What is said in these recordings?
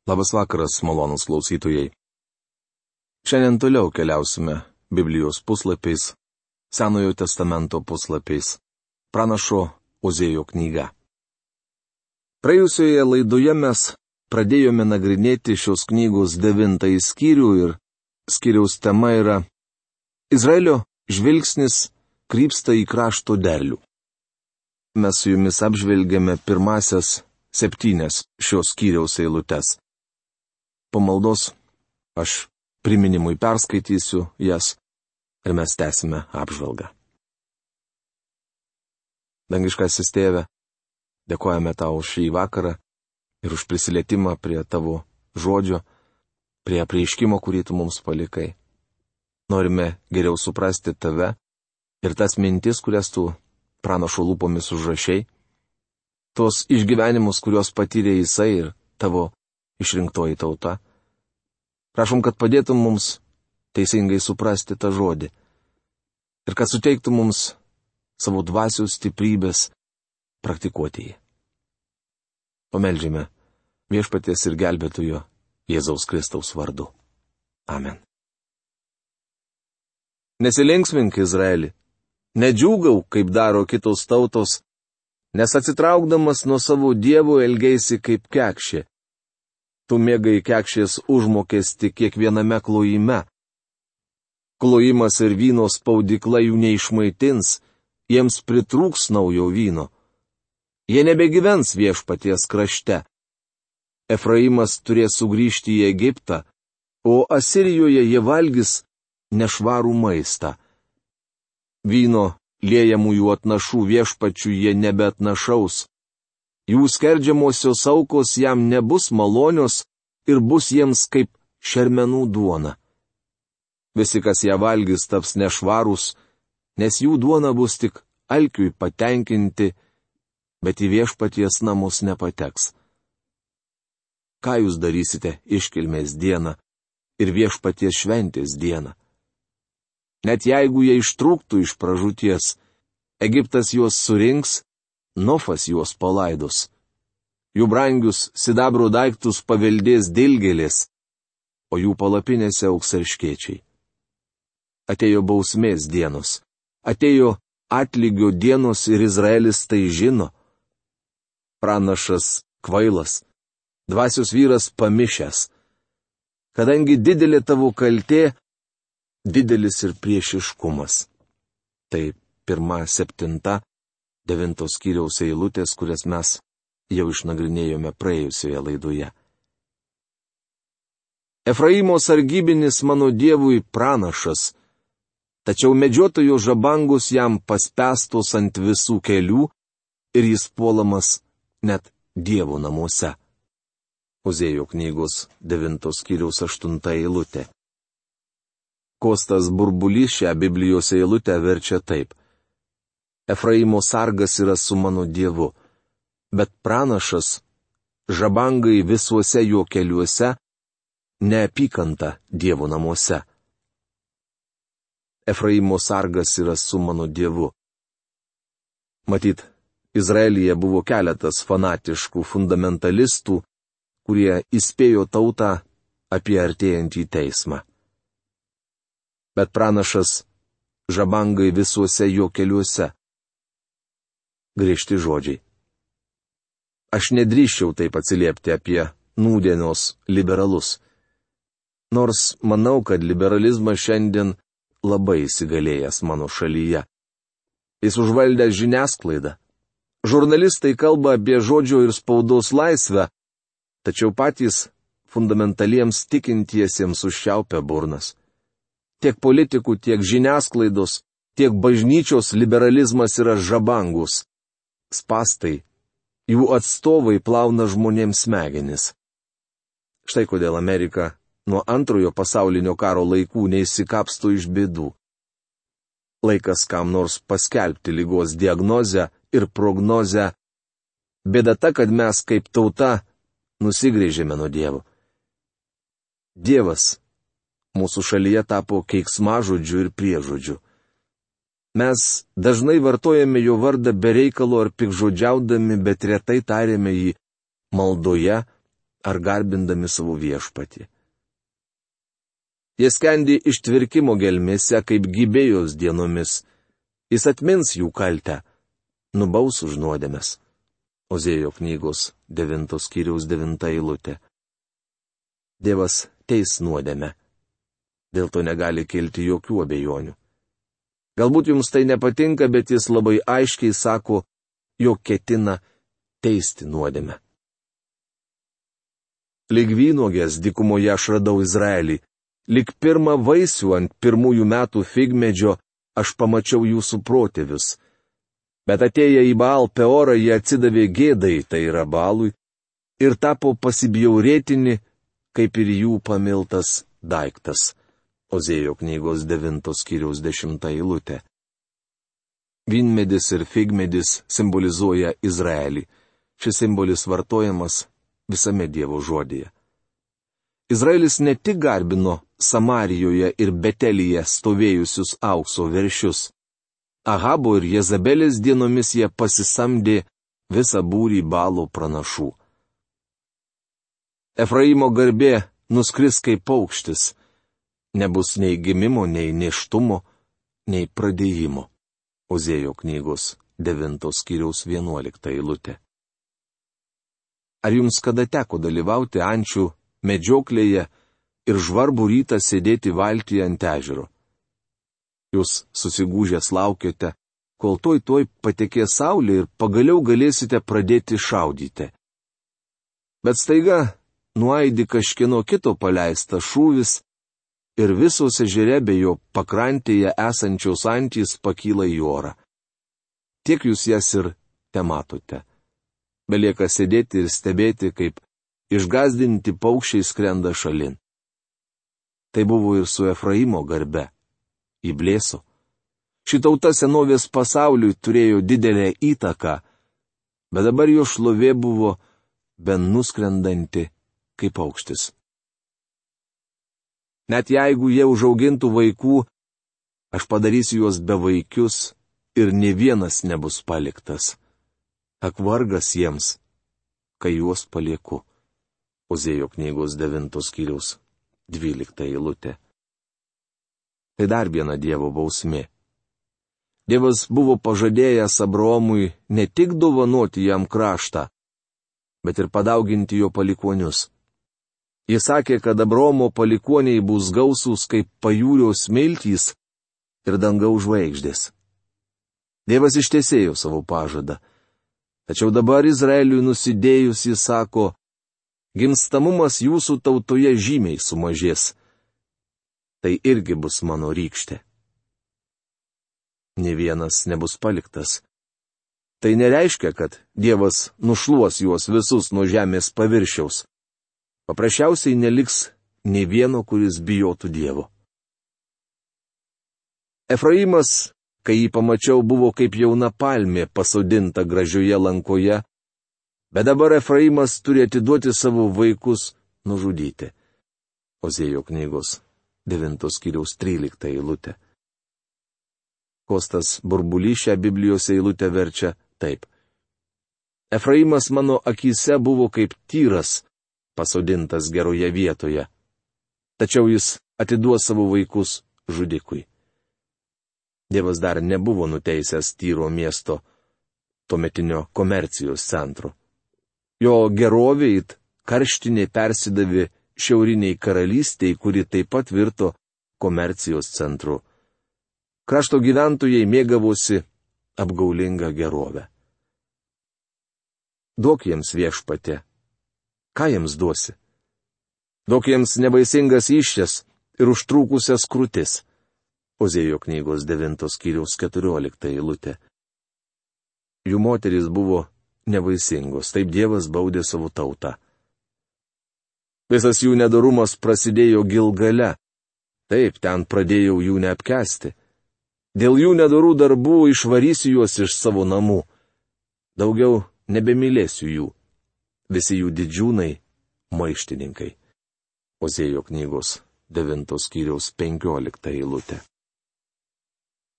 Labas vakaras, malonūs klausytojai. Šiandien toliau keliausime Biblijos puslapiais, Senojo testamento puslapiais, pranašo Ozėjo knyga. Praėjusioje laidoje mes pradėjome nagrinėti šios knygos 9 skyrių ir skyriaus tema yra Izraelio žvilgsnis krypsta į krašto derlių. Mes su jumis apžvelgėme pirmasias 7 šios skyriaus eilutes. Po maldos aš priminimui perskaitysiu jas ir mes tęsime apžvalgą. Dangiškasis Tėve, dėkojame tau už šį vakarą ir už prisilietimą prie tavo žodžio, prie apreiškimo, kurį tu mums palikai. Norime geriau suprasti tave ir tas mintis, kurias tu pranašo lūpomis užrašei, tos išgyvenimus, kuriuos patyrė jisai ir tavo išrinktoji tauta. Prašom, kad padėtum mums teisingai suprasti tą žodį ir kad suteiktum mums savo dvasios stiprybės praktikuoti jį. Pameldžiame Viešpaties ir Gelbėtojo Jėzaus Kristaus vardu. Amen. Nesilinksmink, Izraeli, nedžiūgau, kaip daro kitos tautos, nes atsitraukdamas nuo savo dievų elgeisi kaip kekšė. Tu mėgai kekšės užmokesti kiekviename klojime. Klojimas ir vyno spaudykla jų neišmaitins, jiems pritrūks naujo vyno. Jie nebegyvens Viešpaties krašte. Efraimas turės sugrįžti į Egiptą, o Asirijoje jie valgys nešvarų maistą. Vyno liejamųjų atnašų Viešpačių jie nebeatnašaus. Jų skerdžiamosios aukos jam nebus malonios ir bus jiems kaip šermenų duona. Visi, kas ją valgys, taps nešvarūs, nes jų duona bus tik alkiui patenkinti, bet į Viešpaties namus nepateks. Ką jūs darysite iškilmės dieną ir Viešpaties šventės dieną? Net jeigu jie ištrūktų iš pražūties, Egiptas juos surinks, Nofas juos palaidos. Jų brangius sidabro daiktus paveldės dilgėlės, o jų palapinėse augs erškėčiai. Atėjo bausmės dienos, atėjo atlygio dienos ir Izraelis tai žino. Pranašas kvailas, dvasios vyras pamišęs. Kadangi didelė tavo kaltė, didelis ir priešiškumas. Tai 1, 7, 9 skyriaus eilutės, kurias mes jau išnagrinėjome praėjusioje laidoje. Efraimo sargybinis mano dievui pranašas, tačiau medžiotojo žabangus jam paspęstos ant visų kelių ir jis puolamas net Dievo namuose. Ozėjo knygos 9 skyriaus 8 eilutė. Kostas Burbulys šią Biblijos eilutę verčia taip. Efraimo sargas yra su mano dievu, bet pranašas žabangai visuose jo keliuose, neapykanta Dievo namuose. Efraimo sargas yra su mano dievu. Matyt, Izraelyje buvo keletas fanatiškų fundamentalistų, kurie įspėjo tautą apie artėjantį teismą. Bet pranašas žabangai visuose jo keliuose. Griežti žodžiai. Aš nedrįsčiau taip atsiliepti apie nūdienos liberalus. Nors manau, kad liberalizmas šiandien labai įsigalėjęs mano šalyje. Jis užvaldė žiniasklaidą. Žurnalistai kalba apie žodžio ir spaudos laisvę, tačiau patys fundamentaliems tikintiesiems užšiaupia burnas. Tiek politikų, tiek žiniasklaidos, tiek bažnyčios liberalizmas yra žabangus. Spastai, jų atstovai plauna žmonėms smegenis. Štai kodėl Amerika nuo Antrojo pasaulinio karo laikų neišsikapsto iš bėdų. Laikas kam nors paskelbti ligos diagnozę ir prognozę. Bėda ta, kad mes kaip tauta nusigręžėme nuo Dievo. Dievas mūsų šalyje tapo keiksmažodžiu ir priežodžiu. Mes dažnai vartojame jo vardą be reikalo ar pikžodžiaudami, bet retai tariame jį maldoje ar garbindami savo viešpatį. Jie skendi ištvirkimo gelmėse kaip Gibėjos dienomis. Jis atmins jų kaltę, nubaus už nuodėmes. Ozėjo knygos 9 skyriaus 9 eilutė. Dievas teis nuodėmę. Dėl to negali kilti jokių abejonių. Galbūt jums tai nepatinka, bet jis labai aiškiai sako, jog ketina teisti nuodėmę. Lyg vynuogės dykumoje aš radau Izraelį, lyg pirmą vaisių ant pirmųjų metų figmedžio aš pamačiau jūsų protėvius. Bet atėję į Baal Peorą jie atsidavė gėdai, tai yra Baalui, ir tapo pasibjaurėtini, kaip ir jų pamiltas daiktas. Ozėjo knygos 9 skyriaus 10 eilutė. Vynmedis ir figmedis simbolizuoja Izraelį. Šis simbolis vartojamas visame Dievo žodyje. Izraelis ne tik garbino Samarijoje ir Betelyje stovėjusius aukso veršius. Ahabo ir Jezabelės dienomis jie pasisamdė visą būrį Baalo pranašų. Efraimo garbė nuskris kaip paukštis. Nebus nei gimimo, nei nėštumo, nei pradėjimo. Ozėjo knygos 9 skyriaus 11 eilutė. Ar jums kada teko dalyvauti ančių medžioklėje ir žvarbų rytą sėdėti valtyje ant ežero? Jūs susigūžęs laukiate, kol tuoj patekės saulė ir pagaliau galėsite pradėti šaudyti. Bet staiga nuaidi kažkieno kito paleistas šūvis ir visos ežere bei jo pakrantėje esančios antys pakyla į orą. Tiek jūs jas ir tematote. Belieka sėdėti ir stebėti, kaip išgazdinti paukščiai skrenda šalin. Tai buvo ir su Efraimo garbe. Įblėso. Ši tauta senovės pasauliui turėjo didelę įtaką, bet dabar jo šlovė buvo ben nuskrendanti kaip paukštis. Net jeigu jie užaugintų vaikų, aš padarysiu juos bevaikius ir nė vienas nebus paliktas. Ak vargas jiems, kai juos palieku. Ozėjo knygos 9 skyriaus 12 eilutė. Tai dar viena Dievo bausmė. Dievas buvo pažadėjęs Abraomui ne tik dovanoti jam kraštą, bet ir padauginti jo palikuonius. Jis sakė, kad Abraomo palikuoniai bus gausūs kaip pajūrio smiltys ir dangaus žvaigždės. Dievas ištesėjo savo pažadą. Tačiau dabar Izraeliui nusidėjus jis sako, gimstamumas jūsų tautoje žymiai sumažės. Tai irgi bus mano rykštė. Nė vienas nebus paliktas. Tai nereiškia, kad Dievas nušluos juos visus nuo žemės paviršiaus. Paprasčiausiai neliks nė vieno, kuris bijotų Dievo. Efraimas, kai jį pamačiau, buvo kaip jauna palmė pasodinta gražioje lankoje, bet dabar Efraimas turi atiduoti savo vaikus nužudyti. Ozėjo knygos 9 skyriaus 13 eilutė. Kostas Burbulys šią Biblijos eilutę verčia taip. Efraimas mano akyse buvo kaip tyras, pasodintas geroje vietoje. Tačiau jis atiduos savo vaikus žudikui. Dievas dar nebuvo nuteisęs Tyro miesto, tuometinio komercijos centro. Jo gerovė it karštinė persidavė šiauriniai karalystiai, kuri taip pat virto komercijos centru. Krašto gyventojai mėgavosi apgaulingą gerovę. Duok jiems viešpatie. Ką jiems duosi? Duok jiems nevaisingas iššias ir užtrūkusias krūtis. Ozėjo knygos 9 skyriaus 14 eilutė. Jų moterys buvo nevaisingos, taip Dievas baudė savo tautą. Visas jų nedorumas prasidėjo Gilgale. Taip, ten pradėjau jų neapkęsti. Dėl jų nedorų darbų išvarysiu juos iš savo namų. Daugiau nebemylėsiu jų. Visi jų didžiūnai maištininkai. Ozėjo knygos 9 skyriaus 15 eilutė.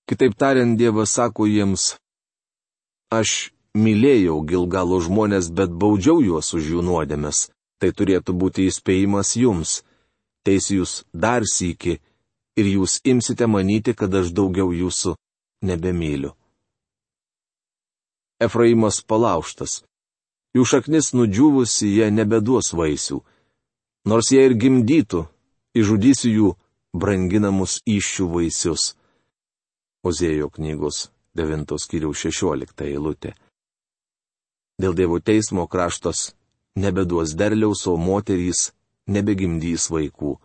Kitaip tariant, Dievas sako jiems, aš mylėjau Gilgalo žmonės, bet baudžiau juos už jų nuodėmes. Tai turėtų būti įspėjimas jums. Teisiu jūs dar sykį ir jūs imsite manyti, kad aš daugiau jūsų nebemyliu. Efraimas palaužtas. Jų šaknis nudžiūvusi, jie nebeduos vaisių. Nors jie ir gimdytų, išžudysiu jų branginamus įsčių vaisius. Ozėjo knygos 9 skyriaus 16 eilutė. Dėl Dievo teismo kraštas nebeduos derliaus, o moterys nebegimdys vaikų.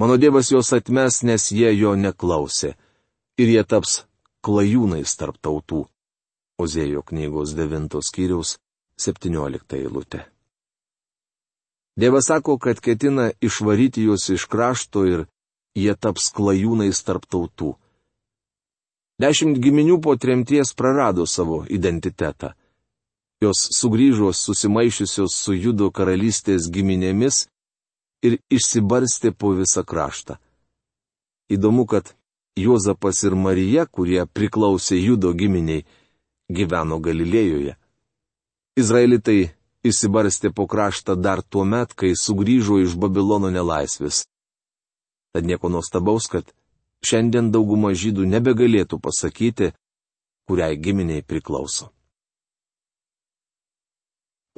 Mano Dievas juos atmes, nes jie jo neklausė, ir jie taps klajūnais tarp tautų. Ozėjo knygos 9 skyriaus 17 eilutė. Dievas sako, kad ketina išvaryti juos iš krašto ir jie taps klajūnais tarp tautų. 10 giminių po tremties prarado savo identitetą. Jos sugrįžo susimaišiusios su Judo karalystės giminėmis ir išsibarstė po visą kraštą. Įdomu, kad Juozapas ir Marija, kurie priklausė Judo giminiai, gyveno Galilėjoje. Izraelitai išsibarstė po kraštą dar tuo met, kai sugrįžo iš Babilono nelaisvės. Tad nieko nuostabaus, kad šiandien dauguma žydų nebegalėtų pasakyti, kuriai giminiai priklauso.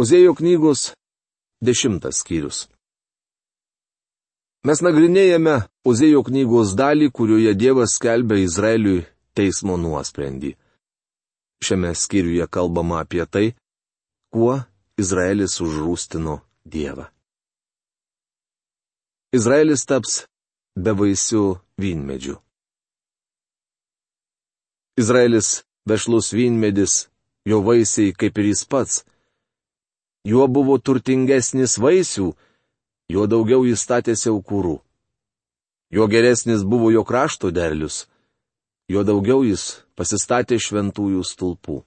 Ozėjo knygos 10 skyrius. Mes nagrinėjame Ozėjo knygos dalį, kurioje Dievas skelbia Izraeliui teismo nuosprendį. Šiame skyriuje kalbama apie tai, kuo Izraelis užrūstino Dievą. Izraelis taps bevaisių vynmedžių. Izraelis vešlus vynmedis, jo vaisiai kaip ir jis pats. Juo buvo turtingesnis vaisių, juo daugiau jis statėsi aukurų. Juo geresnis buvo jo krašto derlius, juo daugiau jis pasistatė šventųjų stulpų.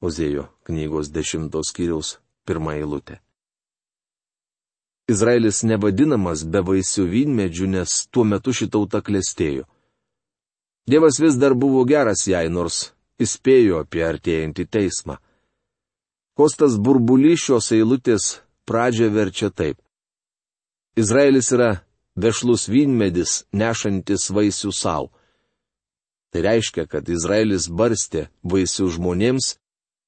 Ozėjo knygos 10 skyriaus 1 eilutė. Izraelis nevadinamas bevaisių vynmedžių, nes tuo metu ši tauta klestėjo. Dievas vis dar buvo geras jai, nors įspėjo apie artėjantį teismą. Kostas Burbulys šios eilutės pradžią verčia taip. Izraelis yra vešlus vynmedis, nešantis vaisių savo. Tai reiškia, kad Izraelis barstė vaisių žmonėms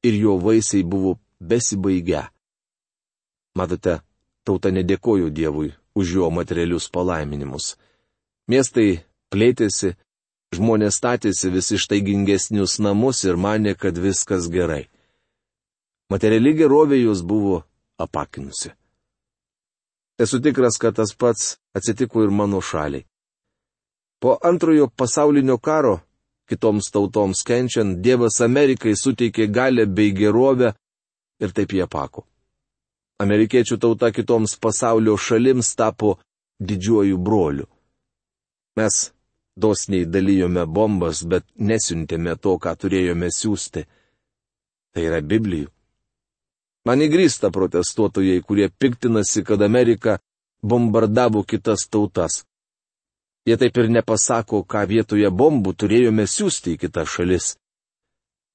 ir jo vaisiai buvo besibaigę. Matote, tauta nedėkojo Dievui už jo materialius palaiminimus. Miestai plėtėsi, žmonės statėsi vis ištaigingesnius namus ir manė, kad viskas gerai. Materiali gerovė jos buvo apakinusi. Esu tikras, kad tas pats atsitiko ir mano šaliai. Po antrojo pasaulinio karo, kitoms tautoms kenčiant, Dievas Amerikai suteikė galę bei gerovę ir taip jie apako. Amerikiečių tauta kitoms pasaulio šalims tapo didžiuoju broliu. Mes dosniai dalijome bombas, bet nesiuntėme to, ką turėjome siųsti. Tai yra Biblijų. Man įgrįsta protestuotojai, kurie piktinasi, kad Amerika bombardavo kitas tautas. Jie taip ir nepasako, ką vietoje bombų turėjome siųsti į kitas šalis.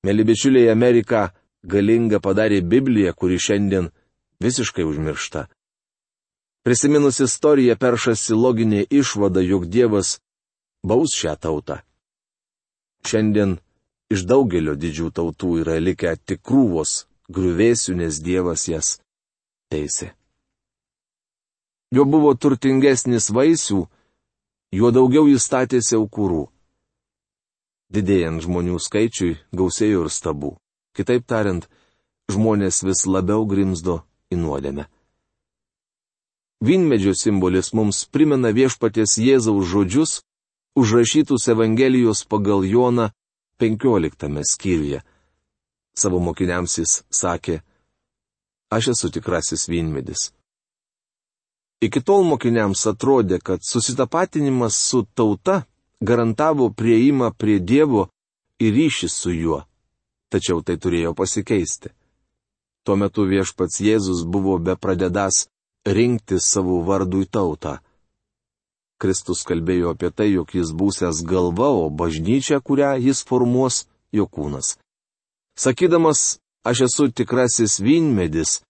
Mėly bičiuliai, Amerika galinga padarė Bibliją, kuri šiandien visiškai užmiršta. Prisiminus istoriją peršasi loginė išvada, jog Dievas baus šią tautą. Šiandien iš daugelio didžių tautų yra likę tik krūvos griuvėsių, nes Dievas jas teisė. Jo buvo turtingesnis vaisių, juo daugiau jis statėsi aukurų. Didėjant žmonių skaičiui gausėjo ir stabų. Kitaip tariant, žmonės vis labiau grimzdo į nuodėmę. Vynmedžio simbolis mums primena viešpaties Jėzaus žodžius, užrašytus Evangelijos pagal Joną 15 skyriuje. Savo mokiniams jis sakė, aš esu tikrasis vynmedis. Iki tol mokiniams atrodė, kad susitapatinimas su tauta garantavo prieimą prie Dievo ir ryšį su juo, tačiau tai turėjo pasikeisti. Tuo metu viešpats Jėzus buvo bepradedąs rinkti savo vardui tautą. Kristus kalbėjo apie tai, jog jis būsęs galva, o bažnyčia, kurią jis formuos, jo kūnas. Sakydamas, aš esu tikrasis vynmedis,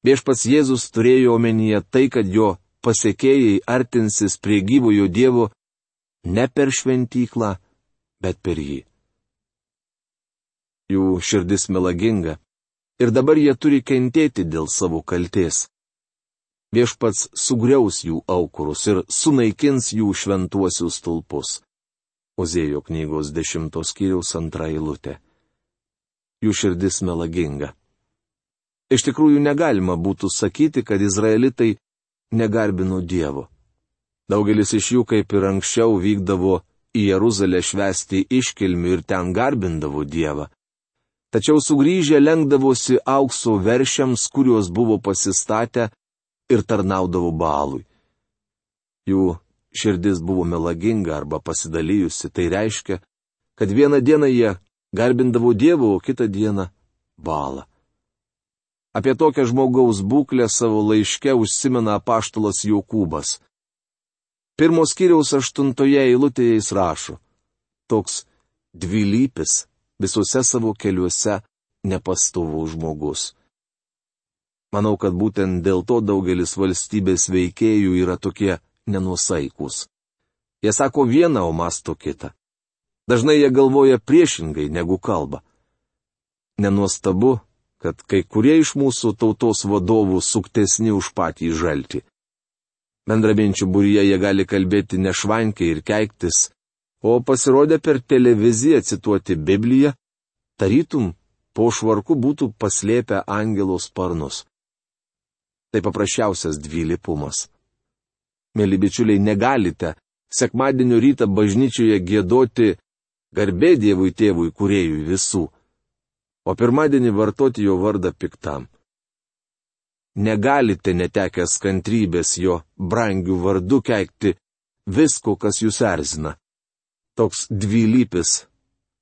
Viešpats Jėzus turėjo omenyje tai, kad jo pasekėjai artinsis prie gyvojo Dievo ne per šventyklą, bet per jį. Jų širdis melaginga ir dabar jie turi kentėti dėl savo kaltės. Viešpats sugriaus jų aukurus ir sunaikins jų šventuosius stulpus. Ozėjo knygos 10 skyriaus 2 eilutė. Jų širdis melaginga. Iš tikrųjų negalima būtų sakyti, kad izraelitai negarbino Dievo. Daugelis iš jų, kaip ir anksčiau, vykdavo į Jeruzalę švęsti iškilmių ir ten garbindavo Dievą. Tačiau sugrįžę lenkdavosi aukso veršiams, kuriuos buvo pasistatę, ir tarnaudavo Baalui. Jų širdis buvo melaginga arba pasidalijusi, tai reiškia, kad vieną dieną jie garbindavo Dievą, o kitą dieną Baalą. Apie tokią žmogaus būklę savo laiške užsimena apaštalas Jokūbas. 1 skyriaus 8 eilutėje jis rašo: toks dvilypis, visuose savo keliuose nepastovus žmogus. Manau, kad būtent dėl to daugelis valstybės veikėjų yra tokie nenuosaikus. Jie sako vieną, o mąsto kitą. Dažnai jie galvoja priešingai negu kalba. Nenuostabu, kad kai kurie iš mūsų tautos vadovų suktesni už patį žaltį. Bendraminčių būryje jie gali kalbėti nešvankiai ir keiktis, o pasirodę per televiziją cituoti Bibliją, tarytum po švarku būtų paslėpę angelo sparnus. Tai paprasčiausias dvilypumas. Mėly bičiuliai, negalite sekmadienio rytą bažnyčioje giedoti garbė Dievui Tėvui Kūrėjui visų, o pirmadienį vartoti jo vardą piktam. Negalite netekęs kantrybės jo brangių vardų keikti visko, kas jūs erzina. Toks dvilypis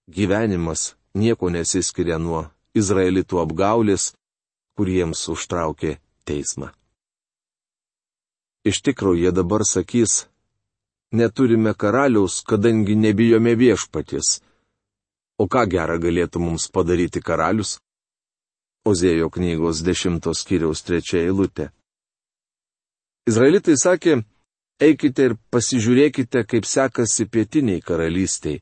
gyvenimas nieko nesiskiria nuo izraelitų apgaulės, kuriems užtraukė teismą. Iš tikrųjų, jie dabar sakys: neturime karaliaus, kadangi nebijome viešpaties. O ką gera galėtų mums padaryti karalius? Ozėjo knygos 10 skyriaus 3 eilutė. Izraelitai sakė: eikite ir pasižiūrėkite, kaip sekasi pietiniai karalystiai.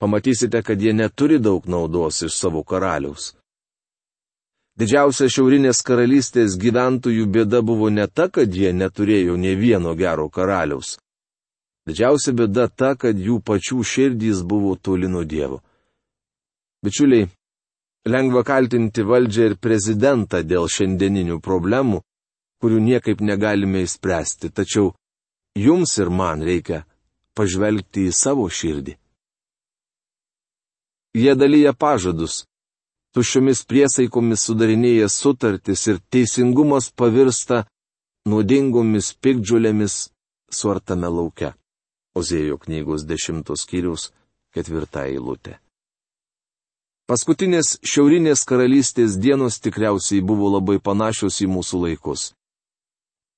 Pamatysite, kad jie neturi daug naudos iš savo karaliaus. Didžiausia šiaurinės karalystės gyventojų bėda buvo ne ta, kad jie neturėjo nė vieno gero karaliaus. Didžiausia bėda ta, kad jų pačių širdys buvo toli nuo Dievo. Bičiuliai, lengva kaltinti valdžią ir prezidentą dėl šiandieninių problemų, kurių niekaip negalime išspręsti, tačiau jums ir man reikia pažvelgti į savo širdį. Jie dalyja pažadus, tuščiomis priesaikomis sudarinėja sutartis ir teisingumas pavirsta nuodingomis piktžolėmis suartame lauke. Ozėjo knygos 10 skyriaus 4 eilutė. Paskutinės šiaurinės karalystės dienos tikriausiai buvo labai panašios į mūsų laikus.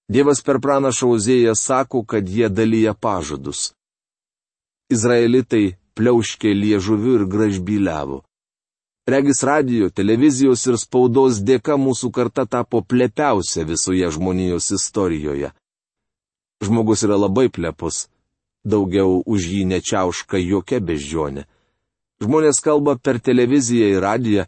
Dievas per pranašą Ozėją sako, kad jie dalyja pažadus. Izraelitai pliauškė liežuviu ir gražbyliavo. Regis radijo, televizijos ir spaudos dėka mūsų karta tapo plepiausia visoje žmonijos istorijoje. Žmogus yra labai plepus, daugiau už jį nečiauška jokia beždžionė. Žmonės kalba per televiziją ir radiją,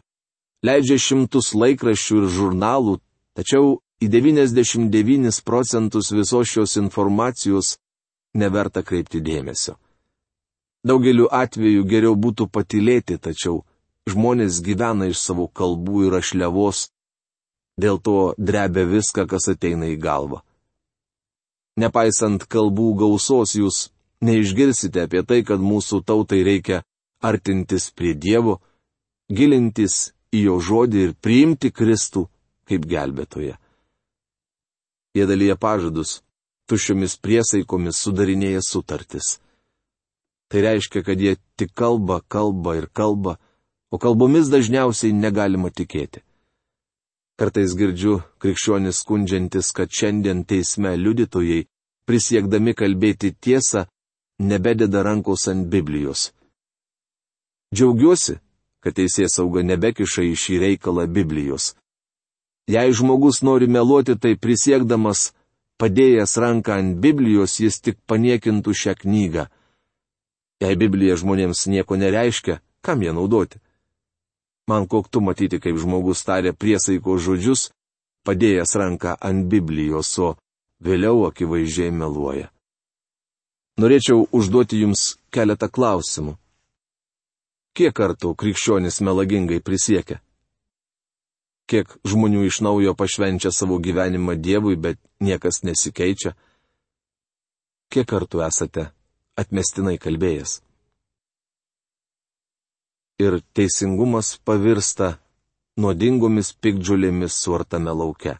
leidžia šimtus laikraščių ir žurnalų, tačiau į 99% visos šios informacijos neverta kreipti dėmesio. Daugeliu atveju geriau būtų patylėti, tačiau žmonės gyvena iš savo kalbų ir rašliavos, dėl to drebia viską, kas ateina į galvą. Nepaisant kalbų gausos, jūs neišgirsite apie tai, kad mūsų tautai reikia artintis prie Dievo, gilintis į jo žodį ir priimti Kristų kaip gelbėtoją. Jie dalyja pažadus, tuščiomis priesaikomis sudarinėja sutartis. Tai reiškia, kad jie tik kalba ir kalba, o kalbomis dažniausiai negalima tikėti. Kartais girdžiu krikščionis skundžiantis, kad šiandien teisme liudytojai, prisiekdami kalbėti tiesą, nebededa rankos ant Biblijos. Džiaugiuosi, kad teisėsauga nebekiša į šį reikalą Biblijos. Jei žmogus nori meluoti, tai prisiekdamas, padėjęs ranką ant Biblijos, jis tik paniekintų šią knygą. Jei Biblija žmonėms nieko nereiškia, kam ją naudoti? Man koktu matyti, kaip žmogus tarė priesaiko žodžius, padėjęs ranką ant Biblijos, o vėliau akivaizdžiai meluoja. Norėčiau užduoti jums keletą klausimų. Kiek kartų krikščionis melagingai prisiekia? Kiek žmonių iš naujo pašvenčia savo gyvenimą Dievui, bet niekas nesikeičia? Kiek kartų esate atmestinai kalbėjęs? Ir teisingumas pavirsta nuodingomis piktžolėmis suartame lauke.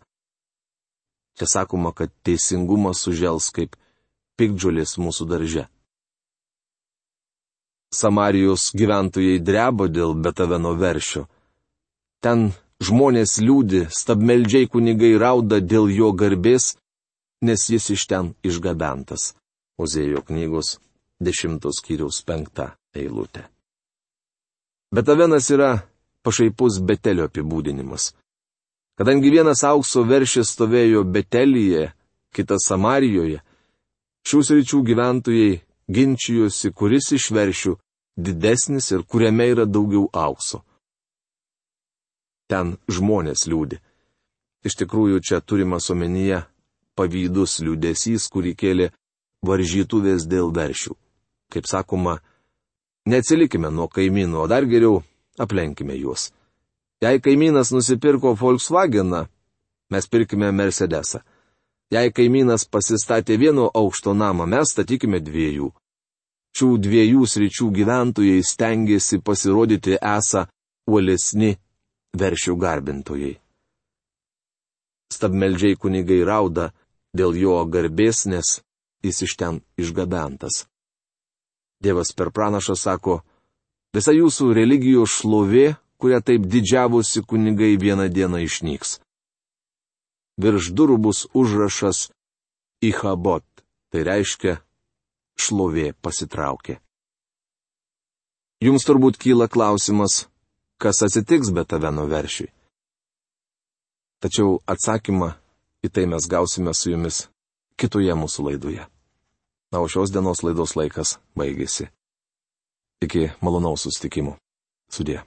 Čia sakoma, kad teisingumas sužels kaip piktžolės mūsų darže. Samarijos gyventojai dreba dėl Betaveno veršio. Ten žmonės liūdi, stabmeldžiai kunigai rauda dėl jo garbės, nes jis iš ten išgabentas. Ozėjo knygos 10 skyriaus 5 eilutė. Betavenas yra pašaipus Betelio apibūdinimas. Kadangi vienas aukso veršis stovėjo Betelyje, kitas Samarijoje, šių sričių gyventojai ginčijosi, kuris iš veršių didesnis ir kuriame yra daugiau aukso. Ten žmonės liūdi. Iš tikrųjų, čia turimas omenyje pavydus liūdesys, kurį kėlė varžytuvės dėl veršių. Kaip sakoma, neatsilikime nuo kaimynų, o dar geriau aplenkime juos. Jei kaimynas nusipirko Volkswageną, mes pirkime Mercedesą. Jei kaimynas pasistatė vieno aukšto namą, mes statykime 2. Šių 2 sričių gyventojai stengiasi pasirodyti esą uolesni veršių garbintojai. Stabmeldžiai kunigai rauda dėl jo garbės, nes jis iš ten išgabentas. Dievas per pranašą sako, visa jūsų religijos šlovė, kuria taip didžiavosi kunigai, vieną dieną išnyks. Virš durų bus užrašas Ichabod, tai reiškia šlovė pasitraukė. Jums turbūt kyla klausimas, kas atsitiks Betaveno veršiui. Tačiau atsakymą į tai mes gausime su jumis kitoje mūsų laidoje. Na, o šios dienos laidos laikas baigėsi. Iki malonaus susitikimų. Sudie.